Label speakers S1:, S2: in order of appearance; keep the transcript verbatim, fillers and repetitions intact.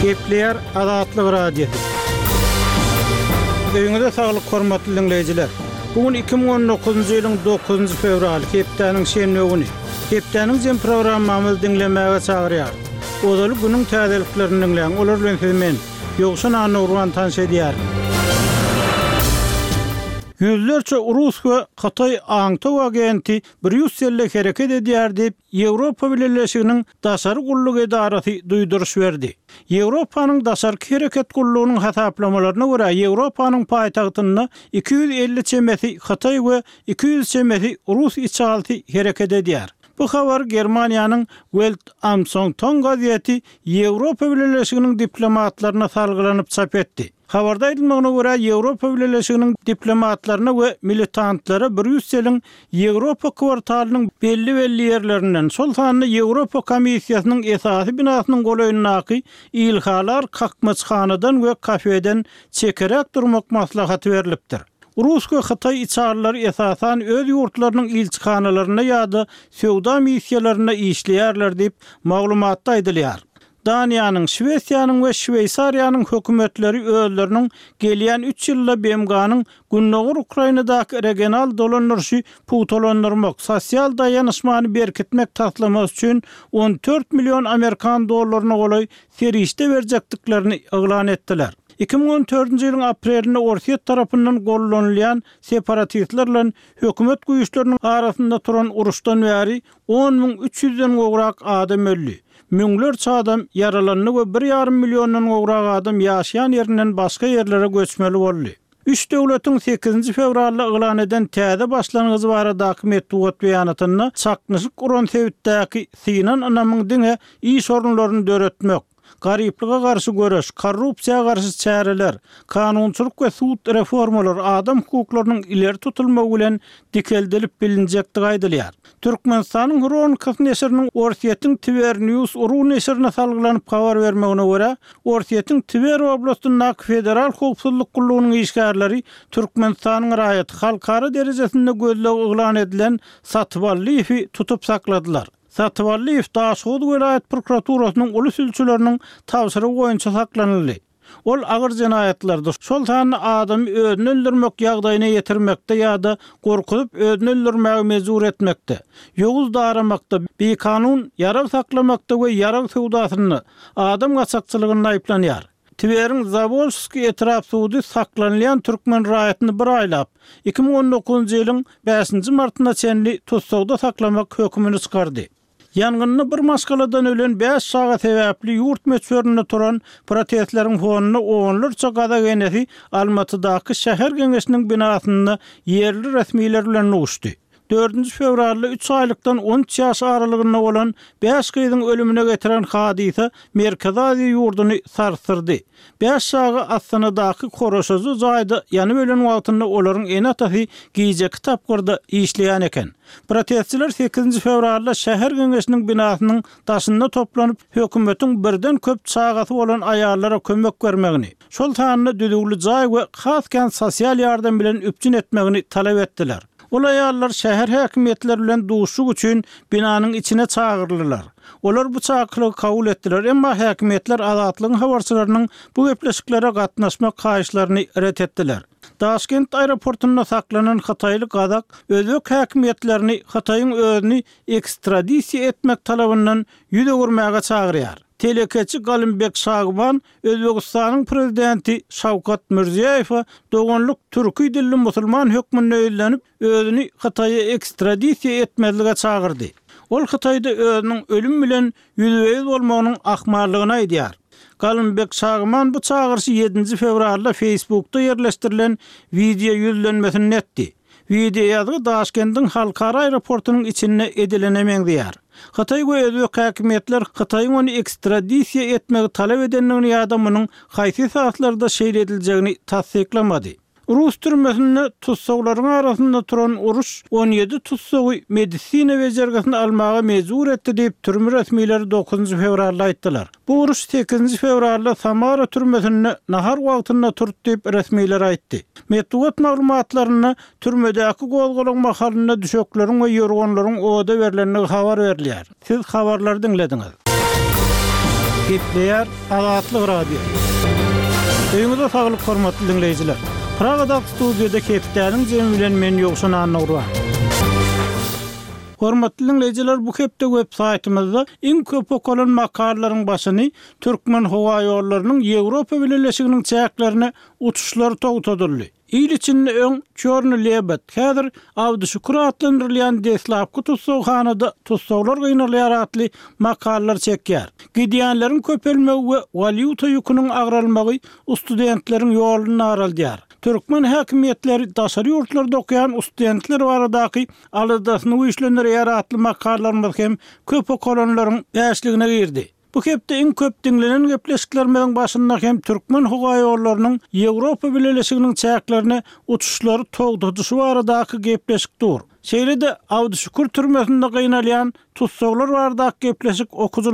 S1: Gepleýär Azatlyk Radiosy. Öýüňize saglyk hormatly diňleýjiler. Bu gün iki müň on dokuzynjy ýylyň dokuzynjy fewraly, hepdäniň şenbe güni. Hepdäniň jem programmamyzy diňlemäge çagyrýar. Ozaly günüň täzeliklerini diňläň. Olar bilen sizi men, Ýowşan Annagurban tanyş edýärin. Ýüzlerçe rus we hytaý aňtaw agenti Brýusselde hereket edýär diýip, Ýewropa Bileleşiginiň Daşary gulluk edarasy duýduryş berdi. Ýewropanyň Daşarky hereket gullugynyň hasaplamalaryna görä, Ýewropanyň paýtagtynda iki ýüz elli çemesi hytaý we iki ýüz çemesi rus içalysy hereket edýär. Bu habary Germaniýanyň Welt am Sonntag gazeti Ýewropa Bileleşiginiň diplomatlaryna salgylanyp çap etdi. Habarda aýdylmagyna görä, Ýewropa Bileleşiginiň diplomatlaryna we militantlara Brýusseliň Ýewropa kwartalynyň belli-belli ýerlerinden, şol sanda Ýewropa Komissiýasynyň esasy binasynyň golaýyndaky ilhalar kakmaçhanadan we kafeden çekeräk durmak maslahaty berlipdir. Rus we hytaý içalylary esasan öz ýurtlarynyň ilçihanalarynda ýa-da söwda missiýalarynda işleýärler diýip, maglumatda aýdylýar. Daniýanyň, Şwesiýanyň we Şweýsariýanyň hökümetleri özleriniň gelýän üç ýylda B M G-nyň Gündogar Ukrainadaky regional dolandyryşy pugtalandyrmak, sosial daýanyşmany berkitmek taslamasy üçin on dört million amerikan dollaryna golaý serişde berjekdiklerini yglan etdiler. iki müň on dördünji ýylyň aprelinde Orsýet tarapyndan gollanylýan separatistler bilen hökümet güýçleriniň arasynda turan uruşdan bäri on müň üç ýüzden gowrak adam öldi. Müňlerçe adam ýaralandy we bir ýarym milliondan gowrak adam ýaşaýan ýerinden başga ýerlere göçmeli boldy. Üç döwletiň sekizinji fewralda yglan eden täze başlangyjy baradaky metbugat beýanatynda çaknyşyk uran sebitdäki synan ynamyň diňe iş orunlaryny döretmek, garyplyga garşy göreş, korrupsiýa garşy çäreler, kanunçylyk we sud reformalary adam hukuklarynyň ileri tutulmagy bilen dikeldilip bilinjekdigi aýdylýar. Türkmenistanyň Hronikasy neşiriniň Orsýetiň Twer News ru neşirine salgylanyp habar bermegine görä, Orsýetiň Twer oblastyndaky Federal Howpsuzlyk gullugynyň işgärleri Türkmenistanyň raýaty halkara derejesinde gözleg yglan edilen Satyballyýewi tutup sakladylar. Satyballyýew Daşoguz welaýat prokuraturasynyň uly sülçüleriniň tabşyrygy boýunça saklanyldy. Ol agyr jenaýatlarda, şol sanda adamy özüni öldürmek ýagdaýyna ýetirmekde ýa-da gorkuzyp özüni öldürmäge mejbur etmekde, ýowuz daramakda, bikanun ýarag saklamakda we ýarag söwdasynda adam gaçakçylygynda aýyplanýar. Tweriň Zawolskiý etrap sudy saklanylýan türkmen raýatyny bir aýlap, iki müň on dokuzynjy ýylyň bäşinji martyna çenli tussagda saklamak hökümini çykardy. Ýangynda bir maşgaladan ölen bäş çaga sebäpli ýurt möçberinde turan protestleriň fonunda onlarça gazak enesi Almatydaky şäher geňeşiniň binasynda ýerli resmiler bilen duşdy. Dördünji fewralda üç aýlykdan on üç ýaş aralygynda bolan bäş gyzyň ölümine getiren hadysa Merkezi Aziýa ýurduny sarsdyrdy. Bäş çaga Astanadaky Koroşajy jaýda ýanyp ölen wagtynda olaryň ene-atasy gijeki tapgyrda işleýän eken. Protestçiler sekizinji fewralda şäher geňeşiniň binasynyň daşynda toplanyp, hökümetiň birden köp çagasy bolan aýallara kömek bermegini, şol sanda düzüwli jaý we has kän sosial ýardam bilen üpjün etmegini talap etdiler. Ol aýallar şäher häkimiýetleri bilen duşuşyk üçin binanyň içine çagyryldylar. Olar bu çakylygy kabul etdiler, emma häkimiýetler Azatlygyň habarçylarynyň bu gepleşiklere gatnaşmak haýyşlaryny ret etdiler. Daşkent aeroportunda saklanan Hytaýly gazak özbek häkimiýetlerini Hytaýyň özüni ekstradisiýa etmek talabyndan ýüz öwürmäge çagyrýar. Telekeçi Galymbek Şagban Özbegistanyň prezidenti Şawkat Mirziýoýewe doganlyk türki dilli musulman hökmünde ýüzlenip, özüni Hytaýa ekstradisiýa etmezlige çagyrdy. Ol Hytaýda özüniň ölüm bilen ýüzbe-ýüz bolmagynyň ahmallygyny aýdýar. Galymbek Şagman bu çagyryşy ýedinji fewralda Facebookda ýerleşdirilen wideo ýüzlenmesini etdi. Wideo ýazgy Daşkendiň halkara aeroportunyň içinde edilene meňzeýär. Hytaý we özbek häkimiýetler Hytaýyň ony ekstradisiýa etmegi talap edendigini ýa-da munuň haýsy esaslarda şeýle ediljegini tassyklamady. Rus türmesinde tussaglaryň arasynda turan uruş on ýedi tussagy medisina bejergisini almaga mejbur etdi diýip türme resmileri dokuzynjy fewralda aýtdylar. Bu uruş sekizinji fewralda Samara türmesinde nahar wagtynda turdy diýip resmiler aýtdy. Metbugat maglumatlarynda türmedäki gozgalaň mahalynda düşekleriň we ýorganlaryň oda berlendigi habar berilýär. Siz habarlary diňlediňiz. Gepleýär Azatlyk Radiosy. Öýüňize saglyk hormatly diňleýjiler. Pragadaky studiýada hepdäniň jemi bilen men Ýowşan Annagurban. Hormatly diňleýjiler, bu hepde web saýtymyzda iň köp okalan makalalaryň başyny Türkmenhowaýollarynyň Ýewropa Bileleşiginiň çäklerine uçuşlary togtadyldy. Il içinde öň Çorny Lebed, häzir Abduşukur atlandyrylýan deslapky tussaghanada tussaglar gynalýar atly makalalar çekýär. Gidýänleriň köpelmegi we walýuta ýüküniň agralmagy studentleriň ýoluny daraldýar. Türkmen häkimiýetleri daşary ýurtlarda okaýan studentler baradaky aladasyny güýçlendirýär atly makalalarymyz hem köp okalanlaryň bäşligine girdi. Bu hepde iň köp diňlenen gepleşiklerimiziň başynda hem Türkmenhowaýollarynyň Ýewropa Bileleşiginiň çäklerine uçuşlary togtadyşy baradaky gepleşik dur. Şeýle-de Abduşukur türmesinde gynalýan tussaglar baradaky gepleşik okyjylar